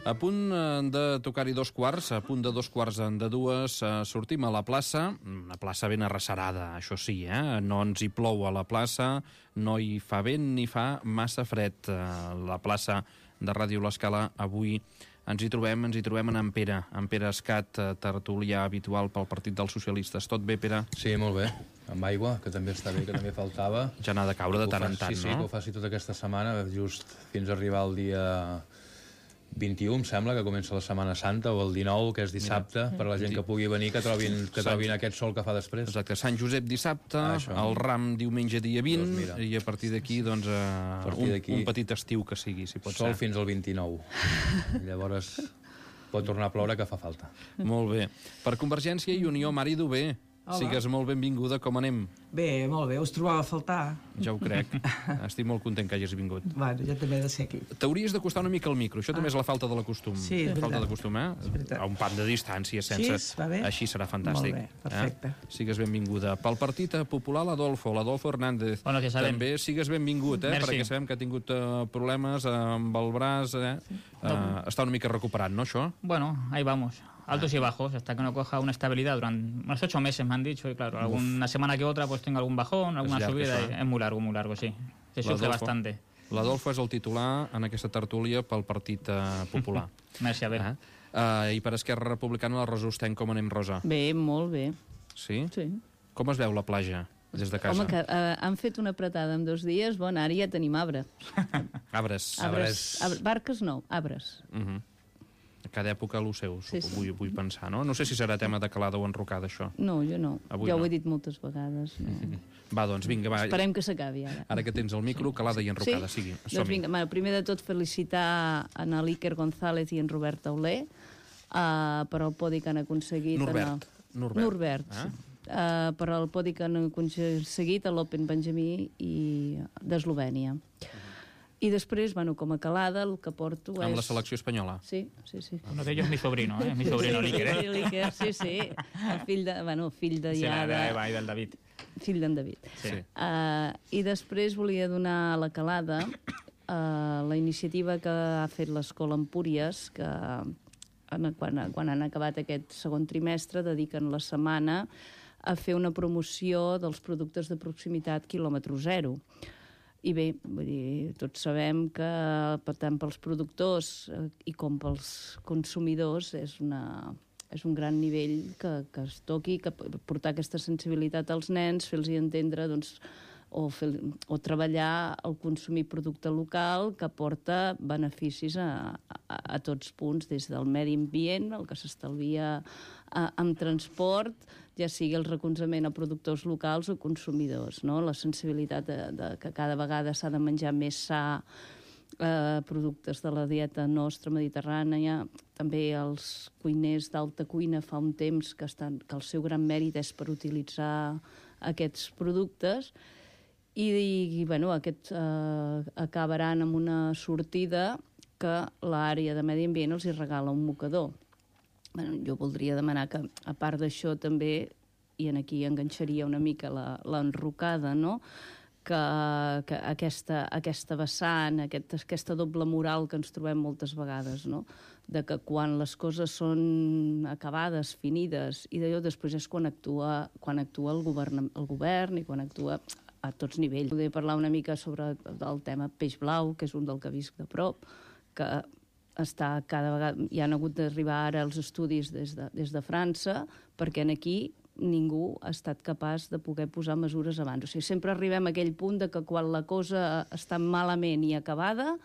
A punt de tocar-hi 2:15, a punt de 2:15, sortim a la plaça, una plaça ben arrecerada, això sí, no ens hi plou a la plaça, no hi fa vent ni fa massa fred. La plaça de Ràdio L'Escala avui ens hi trobem en Pere Escat, tertulià habitual pel Partit dels Socialistes. Tot bé, Pere? Sí, molt bé. Amb aigua, que també està bé, que també faltava. Ja n'ha de caure de tant en tant, no? Sí, no? que ho faci tota aquesta setmana, just fins a arribar al dia 21, em sembla, que comença la Setmana Santa, o el 19, que és dissabte, per a la gent que pugui venir, que trobin aquest sol que fa després. Exacte, Sant Josep dissabte, el Ram diumenge dia 20, i a partir d'aquí, doncs, un petit estiu que sigui, si pot ser. Sol fins al 29. Llavors pot tornar a ploure, que fa falta. Molt bé. Per Convergència i Unió, Mari Dubé, sigues molt benvinguda, com anem? Bé, molt bé, us trobava a faltar. Ja ho crec. Estic molt content que hagis vingut. Bueno, ja també he de ser aquí. T'hauries d'acostar una mica al micro, això també és la falta de l'acostum. Sí, és veritat. Falta d'acostum, a un pan de distància, sense... Sí, va bé? Així serà fantàstic. Molt bé, perfecte. Sigues benvinguda. Pel Partit Popular, l'Adolfo Hernández. Bueno, que sabem. També sigues benvingut, perquè sabem que ha tingut problemes amb el braç, està una mica recuperant, no, això? Bueno, ahí vamos. Altos y bajos, hasta que no coja una estabilidad durante unos 8 meses, me han dicho, y claro, alguna semana que otra pues tengo algún bajón, alguna subida, es muy largo, sí. Se sufre bastante. L'Adolfo és el titular en aquesta tertúlia pel Partit Popular. Merci, a veure. I per Esquerra Republicana, la Rosa Ostenc, com anem, Rosa? Bé, molt bé. Sí? Sí. Com es veu la platja des de casa? Home, que han fet una apretada en 2 dies, bueno, ara ja tenim arbre. Arbres. Barques no, arbres. A cada època el seu, sí. vull pensar, no? No sé si serà tema de calada o enrocada, això. No, jo no. Ja ho he dit moltes vegades. No. Va, doncs, vinga, va. Esperem que s'acabi ara. Ara que tens el micro, calada i enrocada, sigui. Doncs vinga, primer de tot felicitar en l'Iker González i en Robert Tauler per el podi que han aconseguit... Norbert. Per el podi que han aconseguit a l'Open Benjamí d'Eslovènia. I després, bueno, com a calada, el que porto és... Amb la selecció espanyola? Sí. Uno de ellos es mi sobrino, mi sobrino Líquer, Sí. El fill de Eva i del David. Fill d'en David. Sí. I després volia donar la calada a la iniciativa que ha fet l'Escola Empúries, que quan han acabat aquest segon trimestre dediquen la setmana a fer una promoció dels productes de proximitat quilòmetre zero. I bé, vull dir, tots sabem que tant pels productors i com pels consumidors és un gran nivell que es toqui, que portar aquesta sensibilitat als nens, fer-los entendre, doncs, o treballar el consumir producte local que porta beneficis a tots punts, des del medi ambient, el que s'estalvia amb transport, ja sigui el recolzament a productors locals o consumidors, no? La sensibilitat de que cada vegada s'ha de menjar més sa, productes de la dieta nostra mediterrània, també els cuiners d'alta cuina fa un temps que el seu gran mèrit és per utilitzar aquests productes. I bueno, aquests acabaran amb una sortida que l'àrea de medi ambient els hi regala un mocador. Bueno, jo voldria demanar que, a part d'això, també, i aquí enganxaria una mica l'enrocada, no?, que aquesta vessant, aquesta doble moral que ens trobem moltes vegades, no?, de que quan les coses són acabades, finides, i d'allò després és quan actua el govern i quan actua a tots nivells. Podria parlar una mica sobre el tema peix blau, que és un del que visc de prop, que està cada vegada... Hi han hagut d'arribar ara els estudis des de França, perquè aquí ningú ha estat capaç de poder posar mesures abans. O sigui, sempre arribem a aquell punt de que quan la cosa està malament i acabada,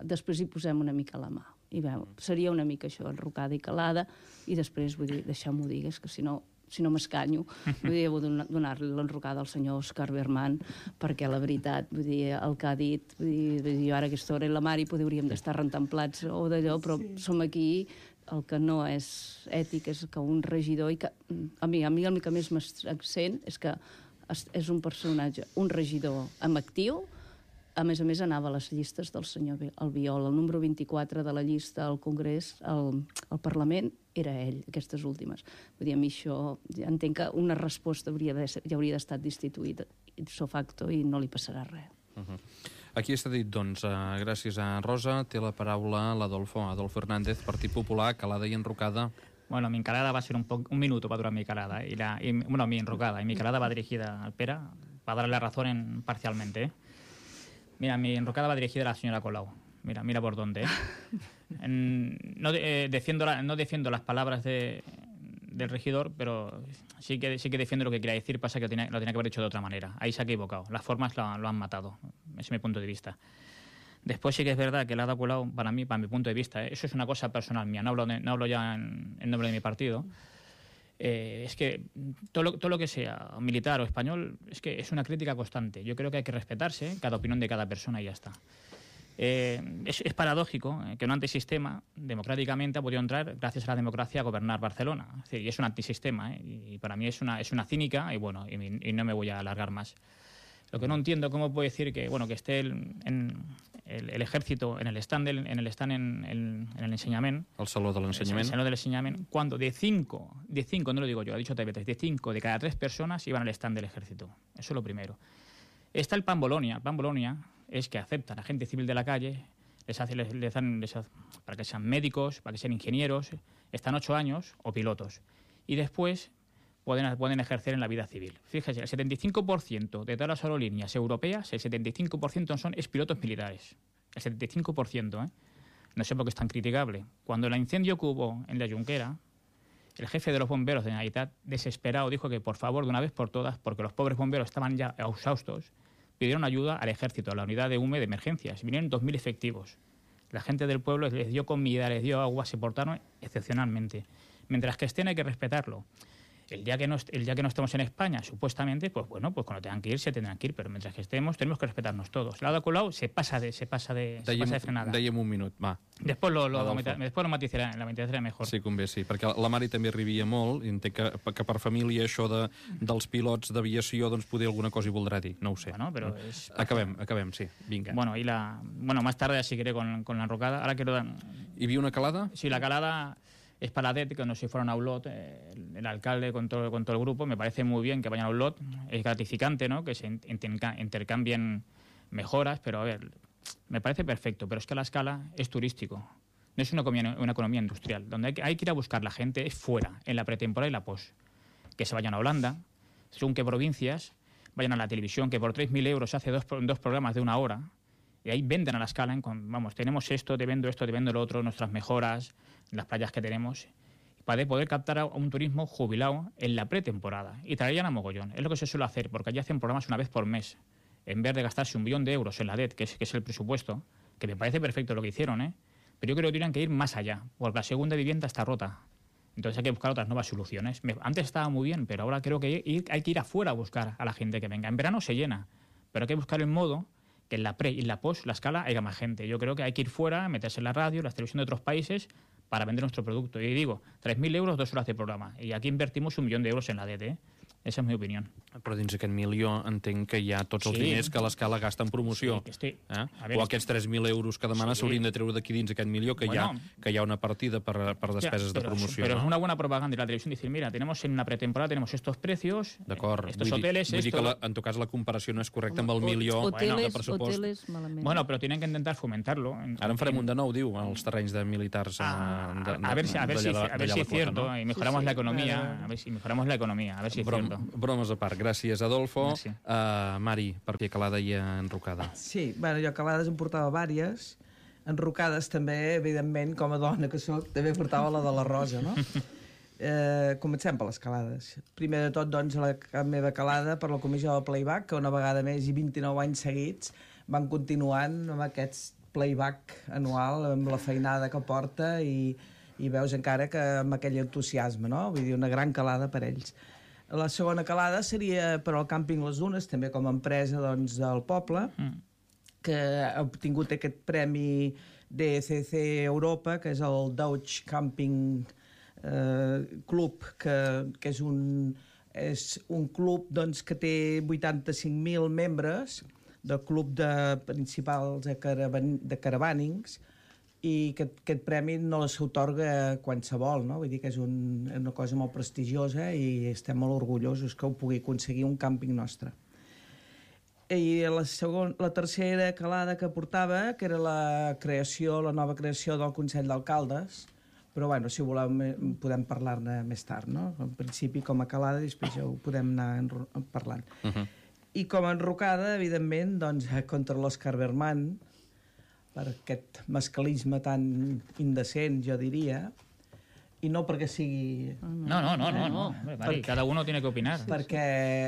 després hi posem una mica la mà. I veu, seria una mica això, enrocada i calada, i després, vull dir, deixeu-m'ho dir, és que si no m'escanyo, vull dir, donar-li l'enrocada al senyor Òscar Berman, perquè la veritat, vull dir, el que ha dit, vull dir, ara aquesta hora i la Mari hauríem d'estar rentant plats o d'allò, però som aquí, el que no és ètic és que un regidor, i que a mi el que més m'accent és que és un personatge, un regidor amb actiu, a més anava a les llistes del senyor Albiol, el número 24 de la llista al Congrés, al Parlament, era ell, aquestes últimes. Vull dir, a mi això, entenc que una resposta ja hauria d'estar destituïda ipso facto i no li passarà res. Aquí està dit, doncs, gràcies a Rosa, té la paraula l'Adolfo Hernández, Partit Popular, calada y enrocada. Bueno, mi encarada va a ser un minuto para durar mi calada, mi enrocada, y mi calada va dirigida al Pera, para darle la razón parcialmente, ¿eh? Mira, mi enrocada va dirigida a la señora Colau. Mira por dónde, ¿eh? No defiendo las palabras del regidor, pero sí que defiendo lo que quiere decir, pasa que lo tenía que haber hecho de otra manera. Ahí se ha equivocado, las formas lo han matado, ese es mi punto de vista. Después sí que es verdad que la ha dado Colau, para mi punto de vista, eso es una cosa personal mía, no hablo ya en nombre de mi partido. Es que todo lo que sea militar o español es que es una crítica constante. Yo creo que hay que respetarse cada opinión de cada persona y ya está. Es paradójico que un antisistema democráticamente ha podido entrar gracias a la democracia a gobernar Barcelona. Es decir, y es un antisistema, y para mí es una cínica y bueno, y no me voy a alargar más. Lo que no entiendo, cómo puede decir que esté el ejército en el stand en el enseñament, el saló de l'ensenyament, el saló del enseñament, cuando de 5, no lo digo yo, ha dicho TV3, de 5 de cada 3 personas iban al stand del ejército. Eso es lo primero. Está el Plan Bolonia. El Plan Bolonia es que aceptan a gente civil de la calle, les dan para que sean médicos, para que sean ingenieros, están 8 años o pilotos. Y después pueden ejercer en la vida civil. Fíjese, el 75% de todas las aerolíneas europeas, el 75% es pilotos militares. El 75%, ¿eh? No sé por qué es tan criticable. Cuando el incendio que hubo en la Junquera, el jefe de los bomberos de Generalitat, desesperado, dijo que por favor, de una vez por todas, porque los pobres bomberos estaban ya exhaustos, pidieron ayuda al ejército, a la unidad de UME de emergencias. Vinieron 2.000 efectivos. La gente del pueblo les dio comida, les dio agua, se portaron excepcionalmente. Mientras que estén hay que respetarlo. El día que no estemos en España, supuestamente, pues bueno, pues cuando tengan que ir, se tendrán que ir, pero mientras que estemos, tenemos que respetarnos todos. La de Colau se pasa de frenada. Dèiem un minut, va. Després lo matizaré mejor. Sí, convé, sí, perquè la Mari també arribia molt i entenc que per família això dels pilots d'aviació, doncs poder alguna cosa hi voldrà dir, no ho sé. Bueno, pero acabem, sí, vinga. Bueno, más tarde seguiré con la enrocada. Ahora quiero dar... Hi havia una calada? Sí, la calada es para la DET, que no sé si fueron a Olot, el alcalde con todo el grupo. Me parece muy bien que vayan a Olot. Es gratificante, ¿no?, que se intercambien mejoras, pero a ver, me parece perfecto, pero es que la escala es turístico. No es una economía industrial. Donde hay que ir a buscar la gente es fuera, en la pretemporada y la post. Que se vayan a Holanda, según qué provincias, vayan a la televisión, que por 3.000 euros se hace dos programas de 1 hora, y ahí venden a la escala, vamos, tenemos esto, te vendo lo otro, nuestras mejoras, las playas que tenemos, para poder captar a un turismo jubilado en la pretemporada y traerían a mogollón. Es lo que se suele hacer, porque allí hacen programas una vez por mes, en vez de gastarse 1 millón de euros en la DET, que es el presupuesto, que me parece perfecto lo que hicieron, ¿eh? Pero yo creo que tendrían que ir más allá, porque la segunda vivienda está rota. Entonces hay que buscar otras nuevas soluciones. Antes estaba muy bien, pero ahora creo que hay que ir afuera a buscar a la gente que venga. En verano se llena, pero hay que buscar el modo que en la pre y en la post, la escala, haya más gente. Yo creo que hay que ir fuera, meterse en la radio, la televisión de otros países, para vender nuestro producto. Y digo, 3.000 euros, 2 horas de programa. Y aquí invertimos 1 millón de euros en la DT, ¿eh? Esa és la meva opinió. Però dins aquest milió entenc que hi ha tots els diners que l'Escala gasta en promoció. Sí, o aquests 3.000 euros que demana s'haurien de treure d'aquí dins aquest milió, que, que hi ha una partida per despeses de promoció. Pero es una buena propaganda de la televisión decir, mira, tenemos en una pretemporada tenemos estos precios, estos hoteles... Vull dir que en tot cas la comparació no és correcta amb el milió de pressupost. Hoteles, malament. Bueno, però tienen que intentar fomentarlo. Ara en farem un de nou, diu, als terrenys de militars. A ver si es cierto, y mejoramos la economía. A ver si mejoramos la economía, a ver si es cierto. Bromes a part. Gràcies, Adolfo. Mari, per què calada i enrocada? Sí, bueno, jo calades en portava vàries, enrocades també, evidentment, com a dona que soc, també portava la de la Rosa, no? Comencem per les calades. Primer de tot, doncs, la meva calada per la comissió del Playback, que una vegada més i 29 anys seguits van continuant amb aquest playback anual, amb la feinada que porta i veus encara que amb aquell entusiasme, no? Vull dir, una gran calada per ells. La segona calada seria per al Càmping Les Dunes, també com a empresa doncs, del poble, que ha obtingut aquest premi DCC Europa, que és el Deutsche Camping Club, que és un club doncs, que té 85.000 membres del club principals de caravànings, i que aquest premi no s'atorga qualsevol, no? Vull dir que és una cosa molt prestigiosa i estem molt orgullosos que ho pugui aconseguir un càmping nostre. I la tercera calada que portava, que era la nova creació del Consell d'Alcaldes, però bueno, si voleu podem parlar-ne més tard, no? En principi com a calada i després ja ho podem anar parlant. I com a enrocada, evidentment, doncs, contra l'Òscar Berman, per aquest masclisme tan indecent, jo diria, i no perquè sigui... No. Mari, cada uno tiene que opinar. Perquè,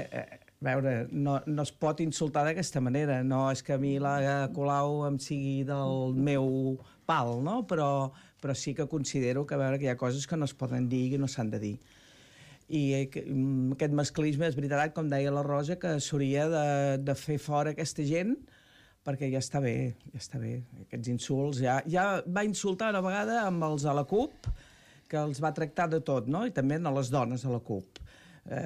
a veure, no es pot insultar d'aquesta manera. No és que a mi la Colau em sigui del meu pal, no? Però sí que considero que, a veure, que hi ha coses que no es poden dir i que no s'han de dir. I aquest masclisme, és veritat, com deia la Rosa, que s'hauria de fer fora aquesta gent, perquè ja està bé, aquests insults. Ja va insultar una vegada amb els a la CUP, que els va tractar de tot, no? I també a les dones a la CUP.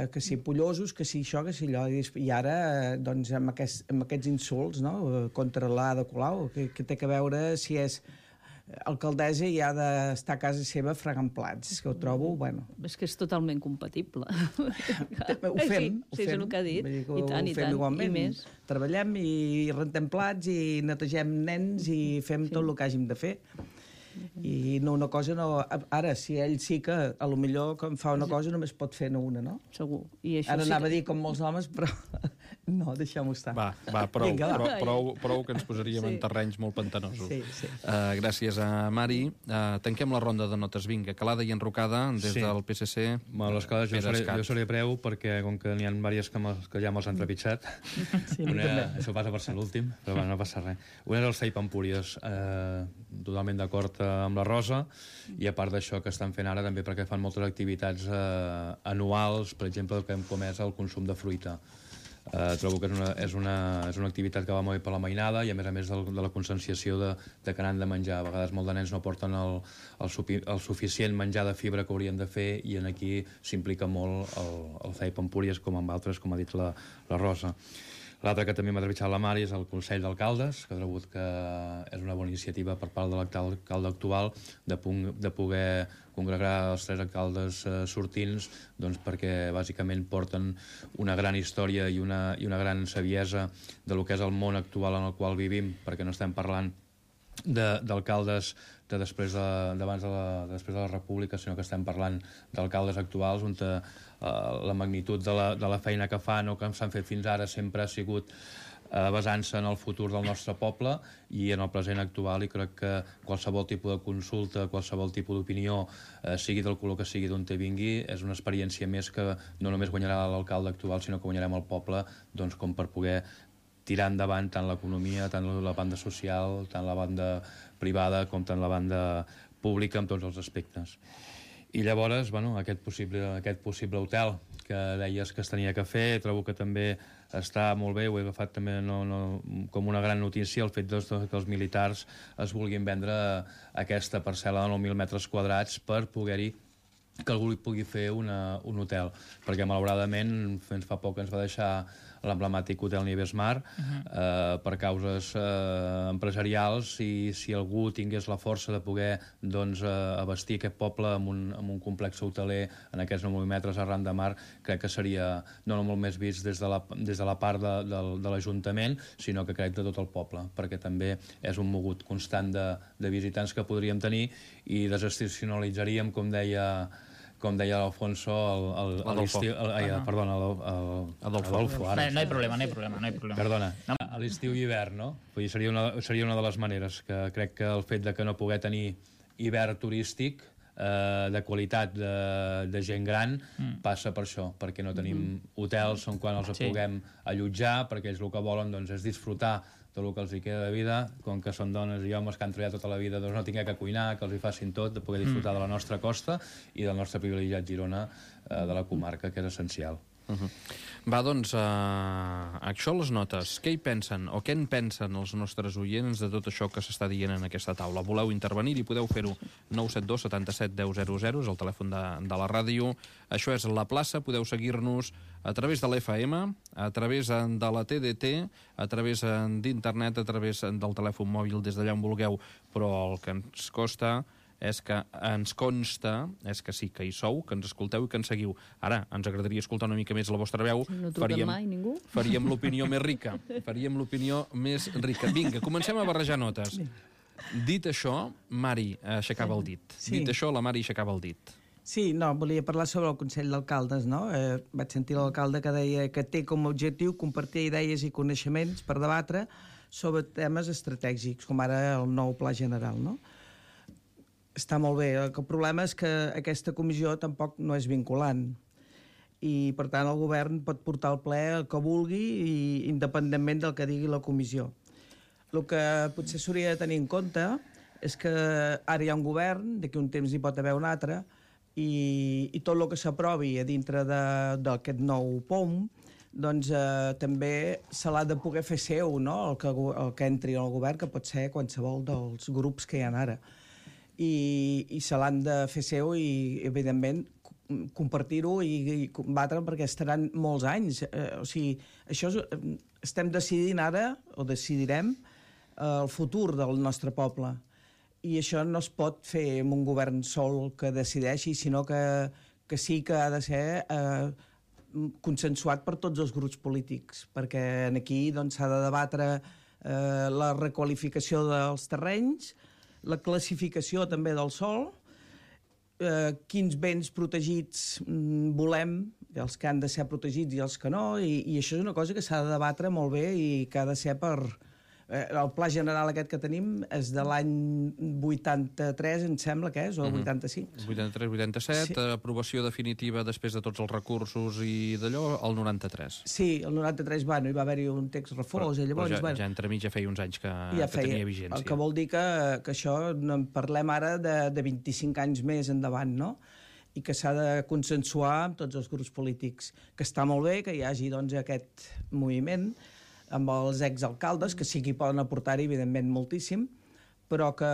Que si pollosos, que si això, que si allò. I ara, doncs, amb aquests insults, no?, contra l'Ada Colau, que té que veure si és alcaldessa i ha d'estar a casa seva fregant plats, que ho trobo, bueno... És que és totalment compatible. Ho fem. Sí, és el que ha dit. I tant, igualment. I més. Treballem i rentem plats i netegem nens i fem tot el que hàgim de fer. I no, una cosa no... Ara, si ell sí que, a lo millor, quan fa una cosa només pot fer una, no? Segur. I això ara anava a dir com molts homes, però no, deixem-ho estar. Va, prou que ens posaríem en terrenys molt pantanosos. Sí. Gràcies a Mari. Tanquem la ronda de notes. Vinga, calada i enrocada des del PSC. Bueno, les calades jo seré breu perquè, com que n'hi ha diverses que ja me'ls han trepitjat, això passa per ser l'últim, però bueno, no passa res. Una és el CEIP Empúries, totalment d'acord amb la Rosa, i a part d'això que estan fent ara també perquè fan moltes activitats anuals, per exemple, com és el consum de fruita. Trobo que és una activitat que va molt bé per la mainada i a més de la conscienciació de que n'han de menjar. A vegades molts de nens no porten el suficient menjar de fibra que haurien de fer i aquí s'implica molt el CEIP Empúries com amb altres, com ha dit la Rosa. L'altre que també m'ha trepitjat la Mari és el Consell d'Alcaldes, que he trobat que és una bona iniciativa per part de l'alcalde actual de poder congregar els 3 alcaldes sortints, doncs perquè bàsicament porten una gran història i una gran saviesa de lo que és el món actual en el qual vivim, perquè no estem parlant d'alcaldes després de la República, sinó que estem parlant d'alcaldes actuals on la magnitud de la feina que fan o que s'han fet fins ara sempre ha sigut basant-se en el futur del nostre poble i en el present actual, i crec que qualsevol tipus de consulta, qualsevol tipus d'opinió, sigui del color que sigui d'on te vingui, és una experiència més que no només guanyarà l'alcalde actual, sinó que guanyarem el poble, doncs, com per poder tirar endavant tant l'economia, tant la banda social, tant la banda privada com tant la banda pública en tots els aspectes. I llavors, bueno, aquest possible hotel que deies que es tenia que fer, trobo que també està molt bé, ho he agafat també com una gran notícia, el fet que els militars es vulguin vendre aquesta parcel·la de 9.000 metres quadrats per poder-hi que algú li pugui fer un hotel, perquè malauradament fins fa poc ens va deixar l'emblemàtic Hotel Nieves Mar per causes empresarials, i si algú tingués la força de poder abastir aquest poble amb un complex hoteler en aquests 9.000 metres arran de mar, crec que seria no molt més vist des de la part de l'Ajuntament, sinó que crec de tot el poble, perquè també és un mogut constant de visitants que podríem tenir i desestacionalitzaríem, com deia l'Alfonso, Adolfo. No hay problema. Perdona, a l'estiu i hivern, no? Vull dir, seria una de les maneres, que crec que el fet de que no poder tenir hivern turístic de qualitat de gent gran passa per això, perquè no tenim hotels on quan els puguem allotjar, perquè ells el que volen és disfrutar del que els hi queda de vida, com que són dones i homes que han treballat tota la vida, doncs no tinguin que cuinar, que els hi facin tot, de poder disfrutar de la nostra costa i del nostre privilegiat Girona, de la comarca, que és essencial. Va, doncs, això les notes. Què hi pensen, o què en pensen els nostres oients de tot això que s'està dient en aquesta taula? Voleu intervenir i podeu fer-ho 972 77 10 00, és el telèfon de la ràdio. Això és La Plaça, podeu seguir-nos a través de l'FM, a través de la TDT, a través d'internet, a través del telèfon mòbil, des d'allà on vulgueu, però el que ens costa és que ens consta, és que sí, que hi sou, que ens escolteu i que ens seguiu. Ara, ens agradaria escoltar una mica més la vostra veu. No truquen mai, ningú. Faríem l'opinió més rica. Faríem l'opinió més rica. Vinga, comencem a barrejar notes. Dit això, Mari aixecava el dit. Dit això, la Mari aixecava el dit. Sí, no, volia parlar sobre el Consell d'Alcaldes, no? Vaig sentir l'alcalde que deia que té com a objectiu compartir idees i coneixements per debatre sobre temes estratègics, com ara el nou Pla General, no? Està molt bé. El problema és que aquesta comissió tampoc no és vinculant i, per tant, el govern pot portar al ple el que vulgui i independentment del que digui la comissió. El que potser s'hauria de tenir en compte és que ara hi ha un govern, d'aquí un temps hi pot haver un altre, i tot el que s'aprovi a dintre d'aquest nou POM doncs també se l'ha de poder fer seu, no? el que entri en el govern, que pot ser qualsevol dels grups que hi ha ara. I se l'han de fer seu i, evidentment, compartir-ho i combatre perquè estaran molts anys. O sigui, això estem decidint ara, o decidirem, el futur del nostre poble. I això no es pot fer amb un govern sol que decideixi, sinó que sí que ha de ser consensuat per tots els grups polítics, perquè aquí s'ha de debatre la requalificació dels terrenys, la classificació també del sòl, quins béns protegits volem, els que han de ser protegits i els que no, i això és una cosa que s'ha de debatre molt bé i que ha de ser per... El pla general aquest que tenim és de l'any 83, em sembla que és, o 85. 83-87, sí. Aprovació definitiva després de tots els recursos i d'allò, el 93. Sí, el 93, hi va haver-hi un text refós, i llavors... Però ja entremig ja feia uns anys que tenia vigència. El que vol dir que això, no en parlem ara de 25 anys més endavant, no? I que s'ha de consensuar amb tots els grups polítics. Que està molt bé que hi hagi aquest moviment amb els exalcaldes, que sí que hi poden aportar-hi, evidentment, moltíssim, però que,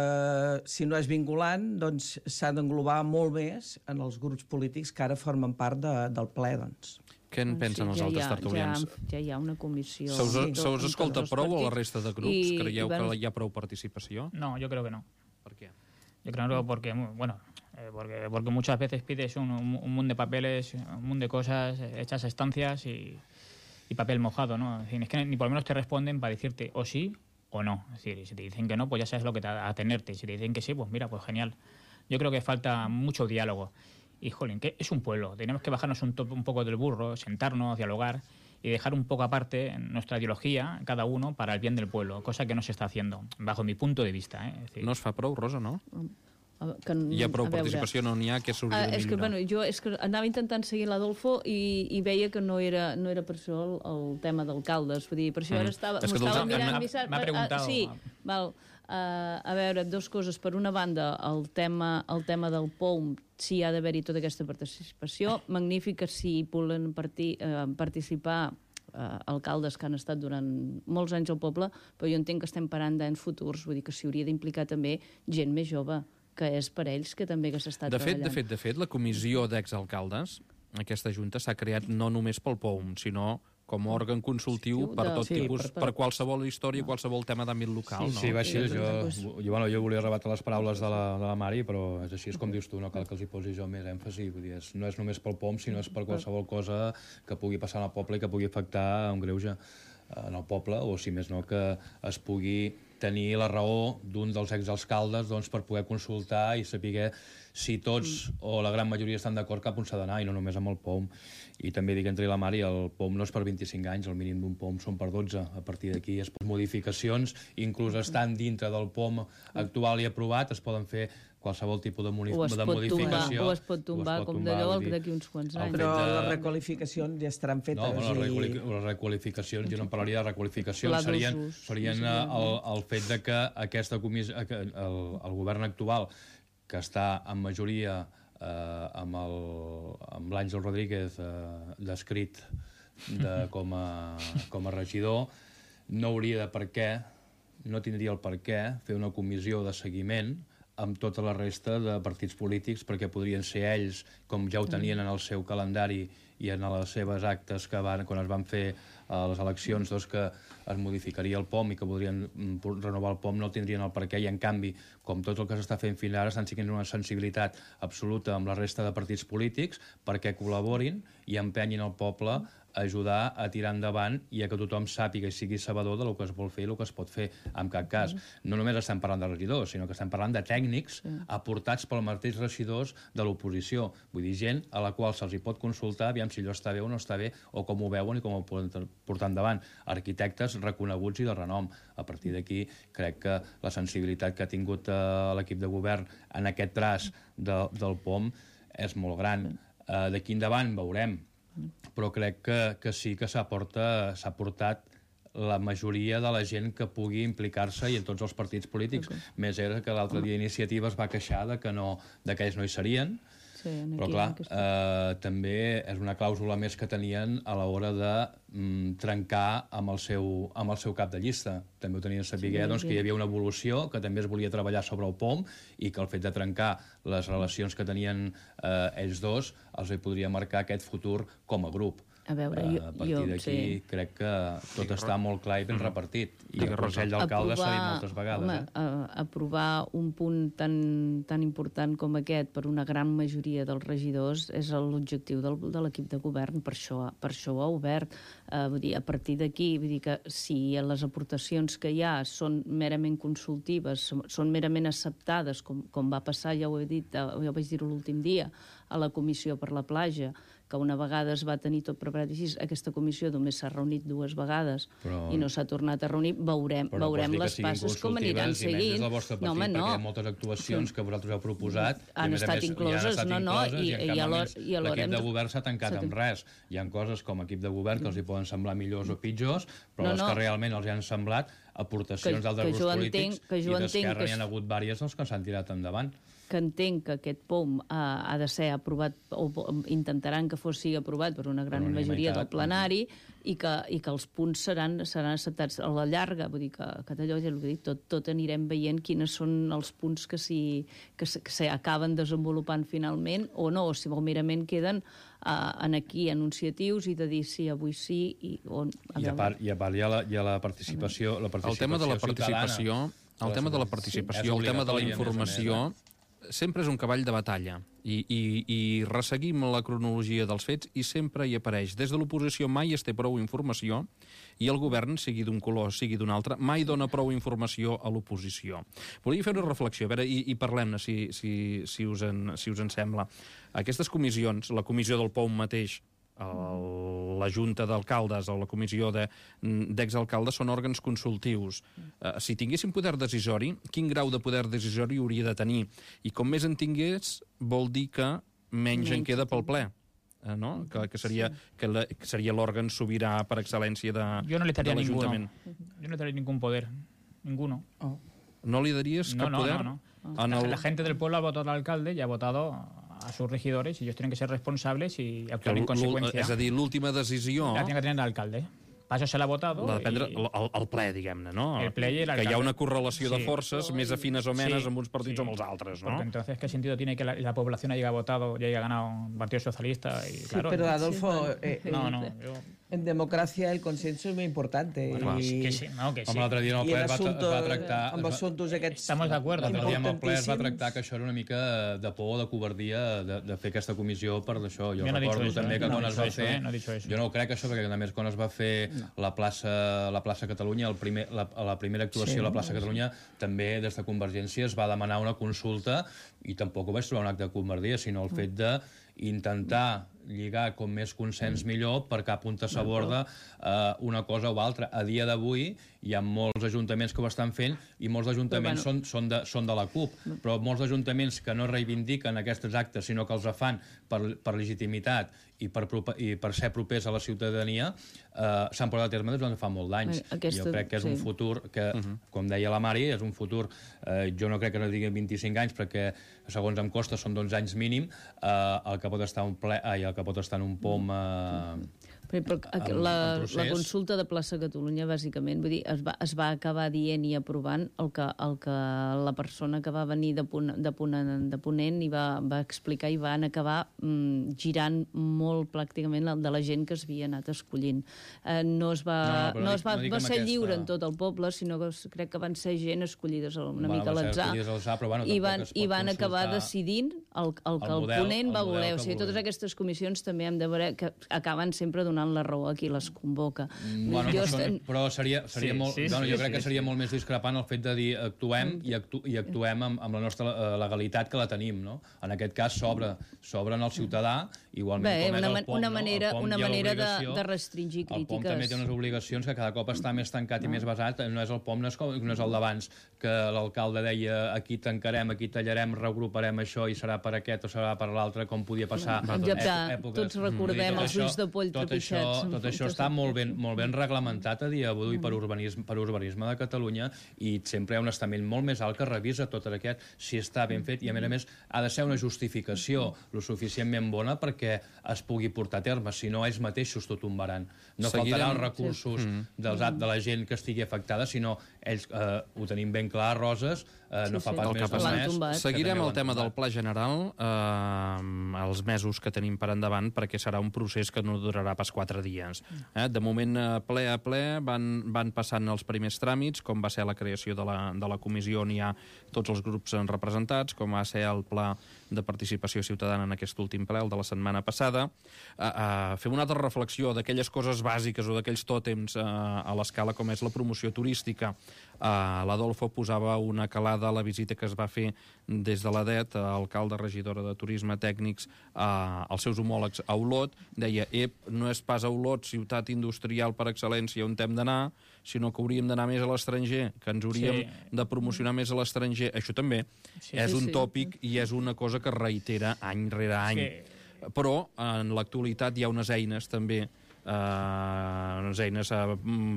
si no és vinculant, doncs s'ha d'englobar molt més en els grups polítics que ara formen part del ple, doncs. Què en pensen els altres tertulians? Ja hi ha una comissió... Se us escolta prou a la resta de grups? Creieu que hi ha prou participació? No, yo creo que no. ¿Por qué? Yo creo que porque muchas veces pides un mundo de papeles, un mundo de cosas hechas a estancias y papel mojado, ¿no? Es decir, es que ni por lo menos te responden para decirte o sí o no. Es decir, si te dicen que no, pues ya sabes lo que te va a atenerte. Si te dicen que sí, pues mira, pues genial. Yo creo que falta mucho diálogo. Y, jolín, que es un pueblo. Tenemos que bajarnos un poco del burro, sentarnos, dialogar y dejar un poco aparte nuestra ideología, cada uno, para el bien del pueblo, cosa que no se está haciendo, bajo mi punto de vista. Es decir, no es fa prou, Rosa, no? Hi ha prou participació, no n'hi ha, que s'hauria de millorar. Jo anava intentant seguir l'Adolfo i veia que no era per això el tema d'alcaldes. Vull dir, per això ara m'estava mirant... M'ha preguntat... Sí, val. A veure, dues coses. Per una banda, el tema del POM, si ha d'haver-hi tota aquesta participació. Magnífic que si volen participar alcaldes que han estat durant molts anys al poble, però jo entenc que estem parant d'anys futurs, vull dir que s'hi hauria d'implicar també gent més jove, que és per ells que també que s'està treballant. De fet, la comissió d'exalcaldes, aquesta junta, s'ha creat no només pel POM, sinó com a òrgan consultiu per tot tipus, per qualsevol història, qualsevol tema d'àmbit local. Sí, va així. Jo volia rebatre les paraules de la Mari, però és així, és com dius tu, no cal que els hi posi jo més èmfasi. Vull dir, no és només pel POM, sinó és per qualsevol cosa que pugui passar al poble i que pugui afectar un greuge en el poble, o si més no, que es pugui tenir la raó d'un dels exalcaldes per poder consultar i saber si tots o la gran majoria estan d'acord cap on s'ha d'anar, i no només amb el POM. I també dic entre la Mari, el POM no és per 25 anys, el mínim d'un POM són per 12. A partir d'aquí es poden modificacions, inclús estant dintre del POM actual i aprovat, es poden fer qualsevol tipus de modificació. O es pot tombar com d'allò d'aquí uns quants anys. Però les requalificacions ja estaran fetes. No, les requalificacions, jo no parlaria de requalificacions, serien el fet de que aquesta comissió, el govern actual, que està en majoria amb l'Àngel Rodríguez descrit com a regidor, no hauria de no tindria el per què fer una comissió de seguiment amb tota la resta de partits polítics, perquè podrien ser ells, com ja ho tenien en el seu calendari i en les seves actes que quan es van fer les eleccions, doncs que es modificaria el POM i que podrien renovar el POM, no tindrien el perquè, i en canvi, com tot el que s'està fent fins ara, estan siguent una sensibilitat absoluta amb la resta de partits polítics perquè col·laborin i empenyin el poble a ajudar a tirar endavant i a que tothom sàpiga i sigui sabedor del que es vol fer i el que es pot fer en cap cas. No només estem parlant de regidors, sinó que estem parlant de tècnics aportats pels mateixos regidors de l'oposició. Vull dir, gent a la qual se'ls hi pot consultar aviam si allò està bé o no està bé, o com ho veuen i com ho poden portar endavant. Arquitectes reconeguts i de renom. A partir d'aquí, crec que la sensibilitat que ha tingut l'equip de govern en aquest traç del POM és molt gran. D'aquí endavant veurem, però crec que sí que s'ha portat la majoria de la gent que pugui implicar-se i en tots els partits polítics. Més era que l'altre dia Iniciativa es va queixar que ells no hi serien, però clar, també és una clàusula més que tenien a l'hora de trencar amb el seu cap de llista. També ho tenien a saber, que hi havia una evolució, que també es volia treballar sobre el POM i que el fet de trencar les relacions que tenien ells dos els podria marcar aquest futur com a grup. A veure, a partir d'aquí crec que tot està molt clar i ben repartit. I el Consell d'Alcaldes s'ha dit moltes vegades. Aprovar un punt tan important com aquest per una gran majoria dels regidors és l'objectiu de l'equip de govern, per això ho ha obert. Vull dir, a partir d'aquí, vull dir que si les aportacions que hi ha són merament consultives, són merament acceptades, com va passar, ja ho he dit, ja ho vaig dir l'últim dia, a la Comissió per la Platja, que una vegada es va tenir tot preparat així, aquesta comissió només s'ha reunit 2 vegades i no s'ha tornat a reunir, veurem les passes com aniran seguint. No, perquè hi ha moltes actuacions que vosaltres heu proposat han estat incloses, i l'equip de govern s'ha tancat amb res. Hi ha coses com a equip de govern que els hi poden semblar millors o pitjors, però les que realment els hi han semblat aportacions d'altres grups polítics, i d'Esquerra n'hi ha hagut diverses que s'han tirat endavant. Que entenc que aquest POM ha de ser aprovat, o intentaran que sigui aprovat per una gran majoria del plenari, i que els punts seran acceptats a la llarga. Vull dir que allò, ja ho he dit, tot anirem veient quines són els punts que s'acaben desenvolupant finalment o no, o merament queden aquí anunciatius i de dir sí, avui sí. I a part hi ha la participació ciutadana. El tema de la participació, el tema de la informació, sempre és un cavall de batalla i resseguim la cronologia dels fets i sempre hi apareix. Des de l'oposició mai es té prou informació i el govern, sigui d'un color, sigui d'un altre, mai dona prou informació a l'oposició. Volia fer una reflexió, a veure, i parlem-ne, si us en sembla. Aquestes comissions, la comissió del POM mateix, la Junta d'Alcaldes o la comissió d'exalcaldes són òrgans consultius. Si tinguessin poder decisori, quin grau de poder decisori hauria de tenir? I com més en tingués, vol dir que menys en queda pel ple. ¿no? Que seria l'òrgan sobirà per excel·lència de l'Ajuntament. Yo no le daría ningún poder, ninguno. ¿No le darías cap poder? No. La gente del pueblo ha votado al alcalde y ha votado a sus regidores y ellos tienen que ser responsables y actuar en consecuencia. És a dir, l'última decisió... La tiene que tener el alcalde. Para eso se l'ha votado. L'ha de prendre el ple, diguem-ne, no? El ple y el alcalde. Que hi ha una correlació de forces més afines o menes amb uns partits o amb els altres, ¿no? Porque entonces, ¿qué sentido tiene que la población haya votado y haya ganado un partido socialista? Y, claro, pero Adolfo... En democracia el consenso es muy importante. Bueno, que sí. Com l'altre dia en el ple es va tractar... Amb assumptos aquests... Estamos de acuerdo. L'altre dia en el ple es va tractar que això era una mica de por o de covardia de fer aquesta comissió per d'això. Jo recordo també que quan es va fer... Jo no ho crec, això, perquè a més quan es va fer la plaça Catalunya, la primera actuació a la plaça Catalunya, també des de Convergència es va demanar una consulta i tampoc ho vaig trobar un acte de covardia, sinó el fet d'intentar lligar com més consens millor per cap on s'aborda una cosa o altra. A dia d'avui hi ha molts ajuntaments que ho estan fent i molts ajuntaments són de la CUP, però molts ajuntaments que no reivindiquen aquests actes sinó que els fan per legitimitat i per ser propers a la ciutadania s'han portat a terme des de fa molt d'anys. Jo crec que és un futur que, com deia la Mari, és un futur, jo no crec que no digui 25 anys perquè segons em costa són 12 anys mínim el que pot estar en un POM La consulta de Plaça Catalunya, bàsicament, vull dir, es va acabar dient i aprovant el que la persona que va venir de ponent i va explicar, i van acabar girant molt pràcticament de la gent que s'havia anat escollint. No va ser lliure en tot el poble, sinó que crec que van ser gent escollides una mica a l'atzar, i van acabar decidint el que el ponent va voler. O sigui, totes aquestes comissions també hem de veure que acaben sempre donant la raó a qui les convoca. Però seria molt... Jo crec que seria molt més discrepant el fet de dir actuem i actuem amb la nostra legalitat que la tenim, no? En aquest cas s'obre en el ciutadà, igualment com és el POM, una manera de restringir crítiques. El POM també té unes obligacions que cada cop està més tancat i més basat. No és el POM, no és el d'abans, que l'alcalde deia aquí tancarem, aquí tallarem, reagruparem això i serà per aquest o serà per l'altre, com podia passar èpoques. Tots recordem els ulls de poll trepitjats. Tot això està molt ben reglamentat a dia d'avui per urbanisme de Catalunya, i sempre hi ha un estament molt més alt que revisa tot aquest, si està ben fet, i a més ha de ser una justificació lo suficientment bona perquè es pugui portar a terme, si no ells mateixos tot tombaran. No faltaran els recursos de la gent que estigui afectada, sinó ells ho tenim ben clar, Roses, no fa pas més de mes. Seguirem el tema del Pla General els mesos que tenim per endavant, perquè serà un procés que no durarà pas 4 dies. De moment, ple a ple, van passant els primers tràmits, com va ser la creació de la comissió on hi ha tots els grups representats, com va ser el pla de participació ciutadana en aquest últim ple, el de la setmana passada. Fem una altra reflexió d'aquelles coses bàsiques o d'aquells tòtems a l'escala com és la promoció turística. L'Adolfo posava una calada a la visita que es va fer des de l'ADET, alcalde, regidora de turisme, tècnics, als seus homòlegs a Olot. Deia, no és pas a Olot, ciutat industrial per excel·lència, on hem d'anar, sinó que hauríem d'anar més a l'estranger, que ens hauríem de promocionar més a l'estranger. Això també és un tòpic i és una cosa que es reitera any rere any. Però en l'actualitat hi ha unes eines també, unes eines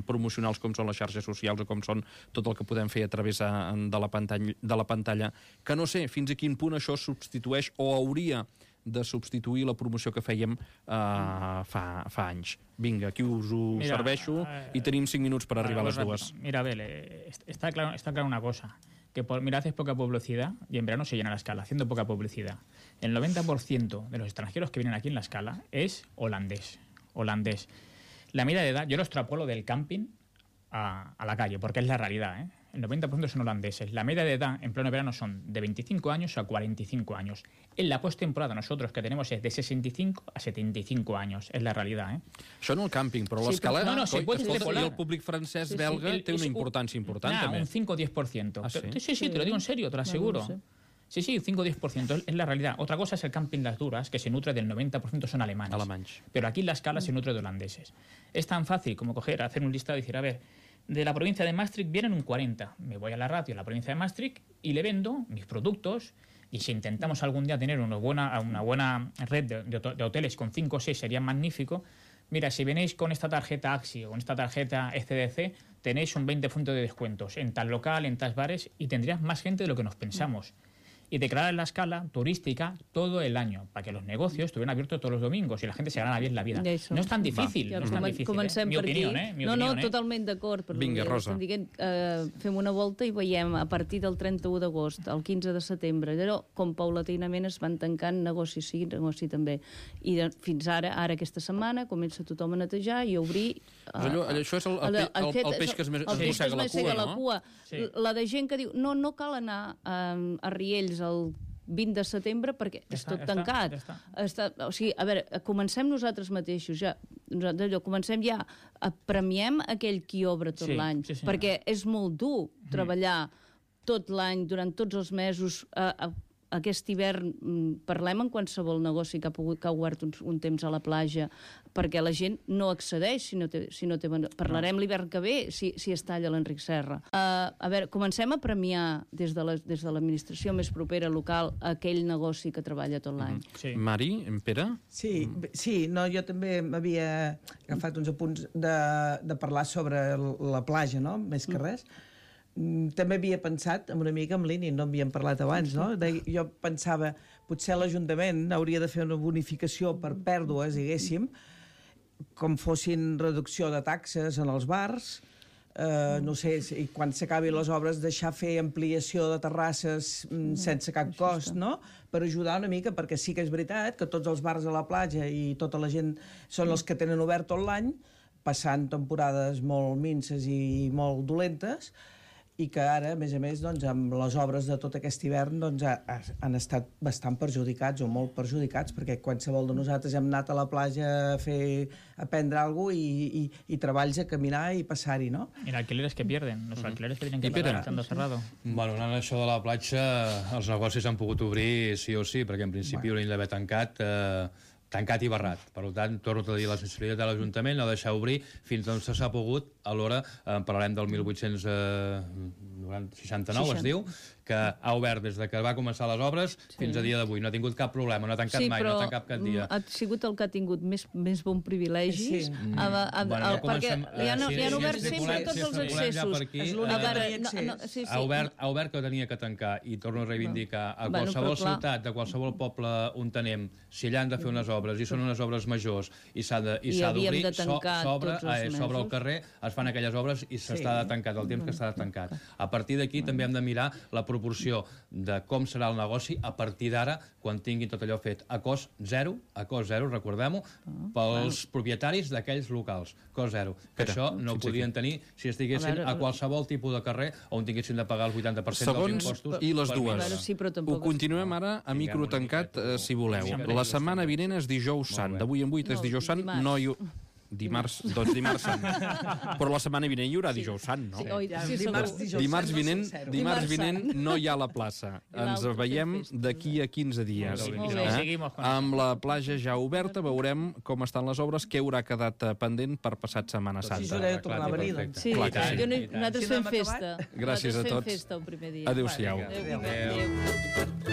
promocionals com són les xarxes socials o com són tot el que podem fer a través de la pantalla, que no sé fins a quin punt això substitueix o hauria de substituir la promoció que fèiem fa anys. Vinga, aquí us ho serveixo i tenim 5 minuts per arribar a les 2. Mira, Abel, está claro una cosa, que haces poca publicidad y en verano se llena la escala, haciendo poca publicidad. El 90% de los extranjeros que vienen aquí en la escala es holandés. La media de edad, yo lo extrapolo del camping a la calle, porque es la realidad, El 90% son holandeses. La media de edad en pleno verano son de 25 años a 45 años. En la postemporada nosotros que tenemos es de 65 a 75 años. Es la realidad, Això en el càmping, però l'escala... No, se puede extrapolar. I el públic francès belga té una importància important, també. Un 5 o 10%. Sí, te lo digo en serio, te lo aseguro. Sí, 5 o 10%, es la realidad. Otra cosa es el camping Las Duras, que se nutre del 90% son alemanes. Pero aquí la escala se nutre de holandeses. Es tan fácil como hacer un listado y decir, a ver, de la provincia de Maastricht vienen un 40. Me voy a la radio en la provincia de Maastricht y le vendo mis productos. Y si intentamos algún día tener una buena red de hoteles con 5 o 6 sería magnífico. Mira, si venís con esta tarjeta AXI o con esta tarjeta ECDC, tenéis un 20% de descuentos en tal local, en tal bares, y tendrías más gente de lo que nos pensamos. Y declarar la escala turística todo el año, para que los negocios estuvieran abiertos todos los domingos y la gente se ganara bien la vida. No és tan difícil, no és tan difícil. Comencem mi opinió, No, totalment d'acord. Vinga, Rosa. Fem una volta i veiem a partir del 31 d'agost, al 15 de setembre, allò com paulatinament es van tancant negoci sí, negoci també. I fins ara aquesta setmana, comença tothom a netejar i a obrir... Això és el peix que es mossega la cua, no? La de gent que diu, no cal anar a Riells el 20 de setembre perquè és tot tancat. O sigui, a veure, comencem nosaltres mateixos, comencem ja, premiem aquell qui obre tot l'any, perquè és molt dur treballar tot l'any, durant tots els mesos. Aquest hivern parlem en qualsevol negoci que ha obert un temps a la platja, perquè la gent no accedeix si no té... Parlarem l'hivern que ve si es talla l'Enric Serra. A veure, comencem a premiar des de l'administració més propera local aquell negoci que treballa tot l'any. Mari, Pere? Sí, jo també m'havia agafat uns apunts de parlar sobre la platja, no?, més que res. També havia pensat amb una mica amb l'INI, no havíem parlat abans, no? Jo pensava, potser l'Ajuntament hauria de fer una bonificació per pèrdues, diguéssim, com fossin reducció de taxes en els bars, no sé, i quan s'acabin les obres deixar fer ampliació de terrasses sense cap cost, no? Per ajudar una mica, perquè sí que és veritat que tots els bars a la platja i tota la gent són els que tenen obert tot l'any, passant temporades molt minces i molt dolentes, i que ara, a més, doncs, amb les obres de tot aquest hivern doncs, han estat bastant perjudicats o molt perjudicats, perquè qualsevol de nosaltres hem anat a la platja a prendre alguna cosa i treballs a caminar i passar-hi, ¿no? Y alquileres que pierden, los alquileres que tienen que pagar estando cerrado. Bueno, anant a això de la platja, els negocis han pogut obrir sí o sí, perquè en principi haurien d'haver tancat i barrat. Per tant, torno a dir la sensibilitat de l'Ajuntament, no deixar obrir fins on s'ha pogut. Alhora, parlarem del 1869, es diu, que ha obert des que va començar les obres fins a dia d'avui. No ha tingut cap problema, no ha tancat mai, no ha tancat cap dia. Ha sigut el que ha tingut més bon privilegi, perquè li han obert sempre tots els accessos. Ha obert que tenia que tancar, i torno a reivindicar, a qualsevol ciutat, de qualsevol poble on anem, si allà han de fer unes obres, i són unes obres majors, i s'ha d'obrir, s'obre el carrer, es fan aquelles obres i s'està tancat, el temps que està tancat. A partir d'aquí també hem de mirar la proporció de com serà el negoci a partir d'ara, quan tinguin tot allò fet a cost zero, recordem-ho, pels propietaris d'aquells locals, cost zero. Que això no ho podien tenir si estiguessin a qualsevol tipus de carrer on tinguessin de pagar el 80% dels impostos. I les dues. Ho continuem ara a microtancat, si voleu. La setmana vinent és dijous sant. D'avui en 8 és dijous sant. Dimarts sant. Però la setmana vinent hi haurà dijous sant, no? Dimarts vinent no hi ha la plaça. Ens veiem d'aquí a 15 dies. Amb la platja ja oberta veurem com estan les obres, què haurà quedat pendent per passat Setmana Santa. Sí, nosaltres fem festa. Gràcies a tots. Nosaltres fem festa el primer dia. Adéu-siau. Adéu.